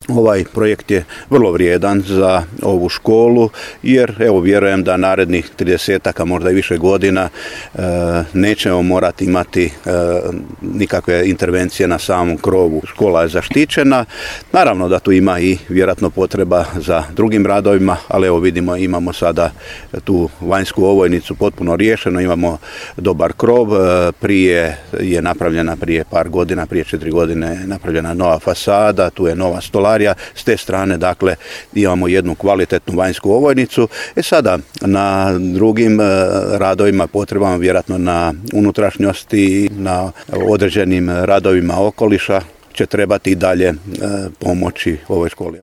Ovaj projekt je vrlo vrijedan za ovu školu jer evo vjerujem da narednih 30-ak, možda i više godina nećemo morati imati nikakve intervencije na samom krovu. Škola je zaštićena. Naravno da tu ima i vjerojatno potreba za drugim radovima, ali evo vidimo imamo sada tu vanjsku ovojnicu potpuno riješeno, imamo dobar krov. Prije je napravljena prije par godina, prije 4 godine je napravljena nova fasada, tu je nova stolarija. S te strane, dakle, imamo jednu kvalitetnu vanjsku ovojnicu. Sada na drugim radovima, potrebama, vjerojatno na unutrašnjosti, na određenim radovima okoliša će trebati i dalje pomoći ovoj školi.